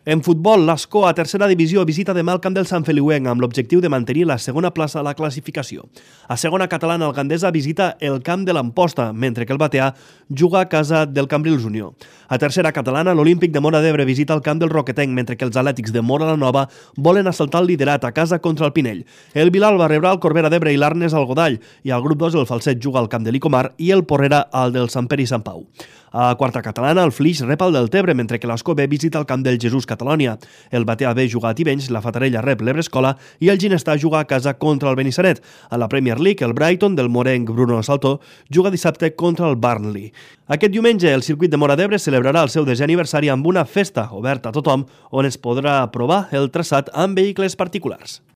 En futbol, l'Escó a tercera divisió visita demà el camp del Sant Feliuenc amb l'objectiu de mantenir la segona plaça a la classificació. A segona catalana, el Gandesa visita el camp de l'Amposta, mentre que el Bateà juga a casa del Cambrils Unió. A tercera catalana, l'Olímpic de Móra d'Ebre visita el camp del Roquetenc, mentre que els Atlètics de Móra la Nova volen assaltar el liderat a casa contra el Pinell. El Vilalba rebrà el Corbera d'Ebre i l'Arnes al Godall, i al grup 2 el Falset juga al camp de l'Icomar i el Porrera al del Sant Pere i Sant Pau. A quarta catalana, el Flix rep el del Tebre, mentre que l'Escó B visita el camp del Jesús Catalònia. El Bateà B juga a Tivenys, la Fatarella rep l'Ebrescola i el Ginestà juga a casa contra el Benissanet. A la Premier League, el Brighton del morenc Bruno Saltó juga dissabte contra el Burnley. Aquest diumenge, el circuit de Móra d'Ebre celebrarà el seu 10è aniversari amb una festa oberta a tothom on es podrà provar el traçat amb vehicles particulars.